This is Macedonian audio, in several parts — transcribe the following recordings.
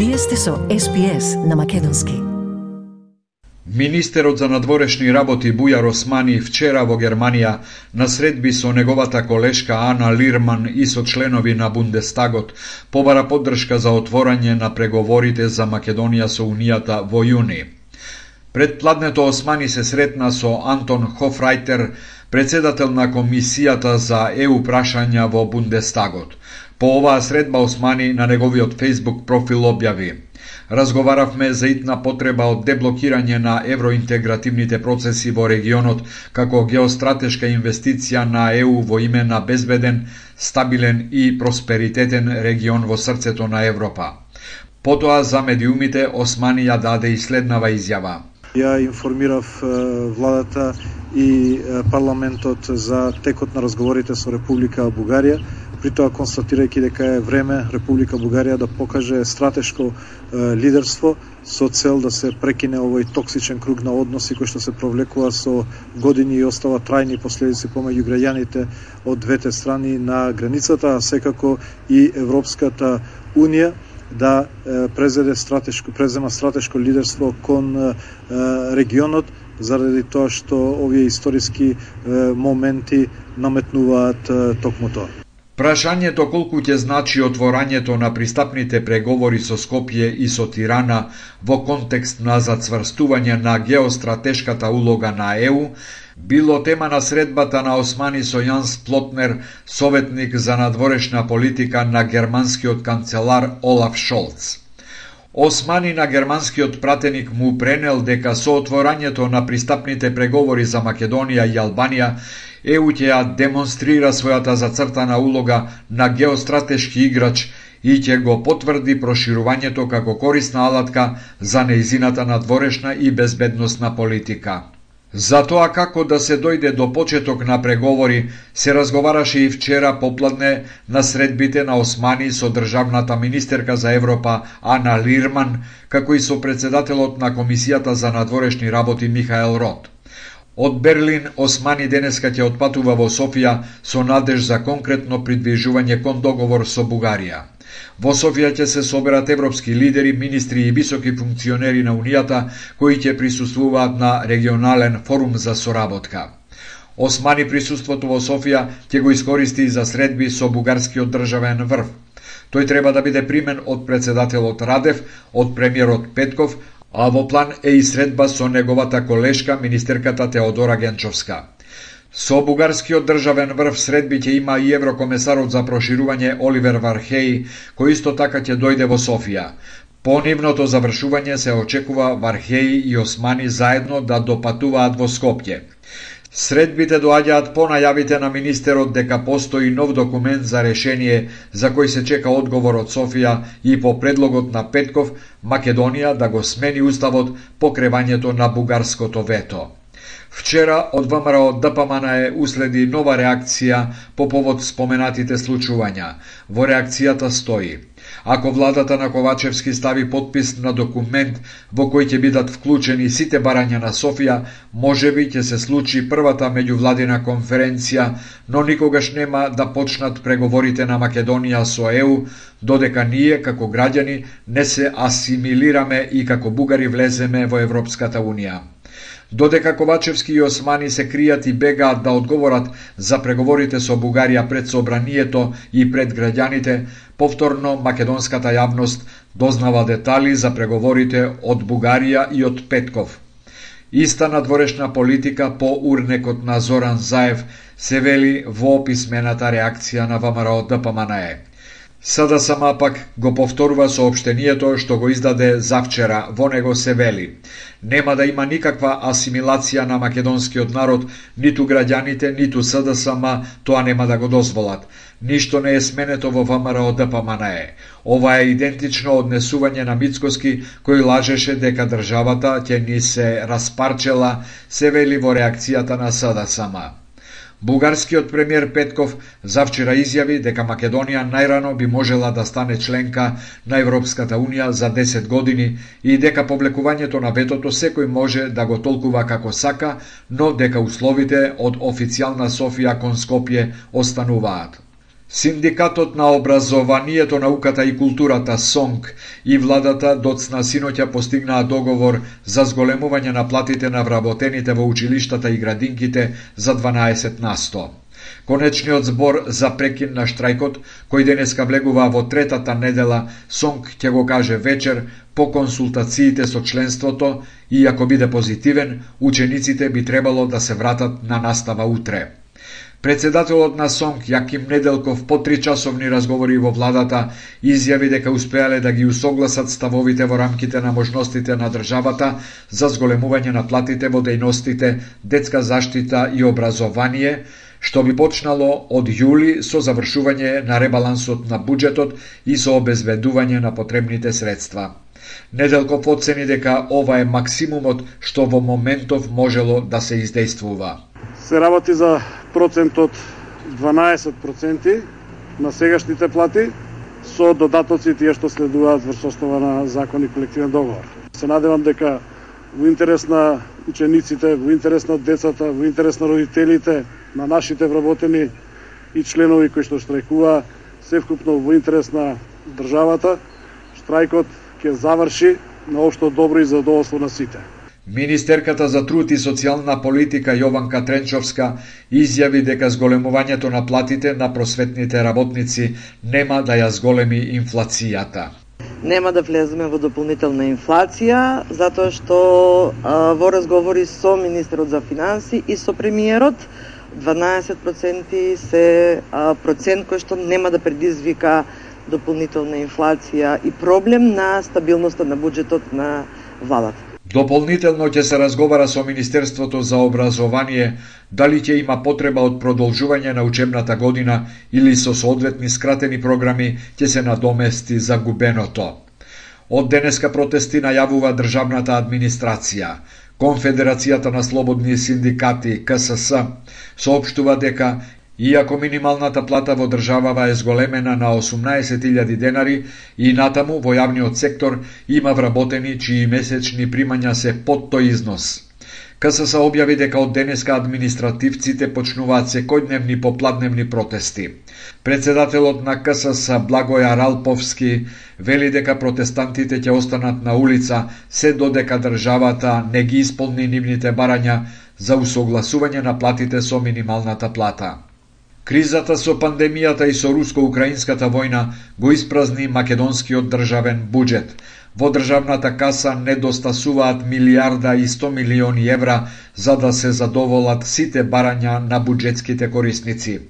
Вие сте со SPS на македонски. Министерот за надворешни работи Бујар Османи вчера во Германија на средби со неговата колешка Ана Лирман и со членови на Бундестагот побара поддршка за отворање на преговорите за Македонија со Унијата во јуни. Пред пладнето Османи се сретна со Антон Хофрајтер, председател на Комисијата за ЕУ прашања во Бундестагот. По оваа средба Османи на неговиот Facebook профил објави: "Разговаравме за итна потреба од деблокирање на евроинтегративните процеси во регионот како геостратешка инвестиција на ЕУ во име на безбеден, стабилен и просперитетен регион во срцето на Европа." Потоа за медиумите Османи ја даде и следнава изјава: Ја информирав владата и парламентот за текот на разговорите со Република Бугарија, при тоа констатирајќи дека е време Република Бугарија да покаже стратешко лидерство со цел да се прекине овој токсичен круг на односи кој што се провлекува со години и остава трајни последици помеѓу граѓаните од двете страни на границата, а секако и Европската Унија да презема стратешко лидерство кон регионот, заради тоа што овие историски моменти наметнуваат токму тоа. Прашањето колку ќе значи отворањето на пристапните преговори со Скопје и со Тирана во контекст на зацврстување на геостратешката улога на ЕУ било тема на средбата на Османи со Јанс Плотнер, советник за надворешна политика на германскиот канцелар Олаф Шолц. Османи на германскиот пратеник му пренел дека со отворањето на пристапните преговори за Македонија и Албанија, ЕУ ќе ја демонстрира својата зацртана улога на геостратешки играч и ќе го потврди проширувањето како корисна алатка за нејзината надворешна и безбедносна политика. За тоа како да се дојде до почеток на преговори се разговараше и вчера попладне на средбите на Османи со државната министерка за Европа Ана Лирман, како и со председателот на Комисијата за надворешни работи Михаел Рот. Од Берлин Османи денеска ќе отпатува во Софија со надеж за конкретно придвижување кон договор со Бугарија. Во Софија ќе се соберат европски лидери, министри и високи функционери на Унијата кои ќе присуствуваат на регионален форум за соработка. Османи присуството во Софија ќе го искористи за средби со бугарскиот државен врв. Тој треба да биде примен од председателот Радев, од премиерот Петков, а во план е и средба со неговата колешка, министерката Теодора Генчовска. Со бугарскиот државен врв средби ќе има и еврокомесарот за проширување Оливер Вархеј, кој исто така ќе дојде во Софија. По нивното завршување се очекува Вархеј и Османи заедно да допатуваат во Скопје. Средбите доаѓаат по најавите на министерот дека постои нов документ за решение за кој се чека одговор од Софија и по предлогот на Петков Македонија да го смени уставот по кревањето на бугарското вето. Вчера од ВМРО ДПМН уследи нова реакција по повод споменатите случувања. Во реакцијата стои: ако владата на Ковачевски стави подпис на документ во кој ќе бидат вклучени сите барања на Софија, можеби ќе се случи првата меѓувладина конференција, но никогаш нема да почнат преговорите на Македонија со ЕУ, додека ние како граѓани не се асимилираме и како бугари влеземе во Европската Унија. Додека Ковачевски и Османи се кријат и бегаат да одговорат за преговорите со Бугарија пред собранието и пред граѓаните, повторно македонската јавност дознава детали за преговорите од Бугарија и од Петков. Иста надворешна политика по урнекот на Зоран Заев се вели во описмената реакција на ВМРО ДПМН. СДСМ пак го повторува соопштението што го издаде завчера. Во него се вели: нема да има никаква асимилација на македонскиот народ, ниту граѓаните, ниту СДСМ тоа нема да го дозволат. Ништо не е сменето во ВМРО ДПМН. Ова е идентично однесување на Мицкоски, кој лажеше дека државата ќе ни се распарчела, се вели во реакцијата на СДСМ. Бугарскиот премиер Петков завчера изјави дека Македонија најрано би можела да стане членка на Европската Унија за 10 години и дека повлекувањето на ветото секој може да го толкува како сака, но дека условите од официјална Софија кон Скопје остануваат. Синдикатот на образованието, науката и културата СОНК и владата доцна синоќа постигнаа договор за зголемување на платите на вработените во училиштата и градинките за 12%. Конечниот збор за прекин на штрајкот, кој денеска влегува во третата недела, СОНК ќе го каже вечер по консултациите со членството и ако биде позитивен, учениците би требало да се вратат на настава утре. Председателот на СОНК Јаким Неделков по 3-часовни разговори во владата изјави дека успеале да ги усогласат ставовите во рамките на можностите на државата за зголемување на платите во дејностите детска заштита и образование, што би почнало од јули со завршување на ребалансот на буџетот и со обезбедување на потребните средства. Неделков оцени дека ова е максимумот што во моментов можело да се издействува. Се работи за процент од 12% на сегашните плати со додатоци тие што следуваат врз основа на закон и колективен договор. Се надевам дека во интерес на учениците, во интерес на децата, во интерес на родителите, на нашите вработени и членови кои што штрајкуваа, севкупно во интерес на државата, штрајкот ќе заврши на општо добро и задоволство на сите. Министерката за труд и социјална политика Јованка Тренчовска изјави дека зголемувањето на платите на просветните работници нема да ја зголеми инфлацијата. Нема да влеземе во дополнителна инфлација, затоа што во разговори со министерот за финанси и со премиерот, 12% се процент кој што нема да предизвика дополнителна инфлација и проблем на стабилноста на буџетот на владата. Дополнително ќе се разговара со Министерството за образование дали ќе има потреба од продолжување на учебната година или со соодветни скратени програми ќе се надомести загубеното. Од денеска протести најавува државната администрација. Конфедерацијата на слободни синдикати КСС соопштува дека иако минималната плата во државава е зголемена на 18.000 денари и натаму во јавниот сектор има вработени чии месечни примања се под тој износ. КСС објави дека од денеска административците почнуваат секојдневни попладневни протести. Председателот на КСС Благоја Ралповски вели дека протестантите ќе останат на улица се додека државата не ги исполни нивните барања за усогласување на платите со минималната плата. Кризата со пандемијата и со руско-украинската војна го испразни македонскиот државен буџет. Во државната каса недостасуваат 1,1 милиарди евра за да се задоволат сите барања на буџетските корисници.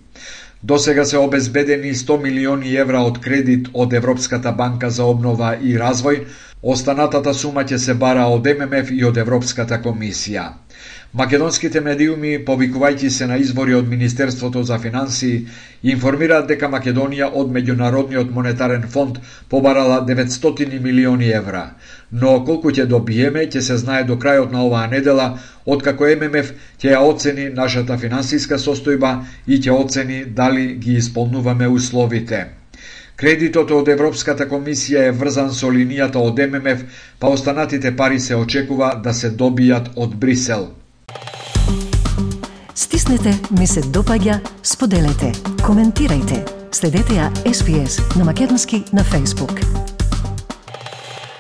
До сега се обезбедени 100 милиони евра од кредит од Европската банка за обнова и развој, останатата сума ќе се бара од ММФ и од Европската комисија. Македонските медиуми, повикувајќи се на извори од Министерството за финансии, информираат дека Македонија од Меѓународниот монетарен фонд побарала 900 милиони евра. Но колку ќе добиеме, ќе се знае до крајот на оваа недела, откако ММФ ќе ја оцени нашата финансиска состојба и ќе оцени дали ги исполнуваме условите. Кредитот од Европската комисија е врзан со линијата од ММФ, па останатите пари се очекува да се добијат од Брисел. Стиснете, ми се допаѓа, споделете, коментирајте. Следете ја SPS на Македонски на Facebook.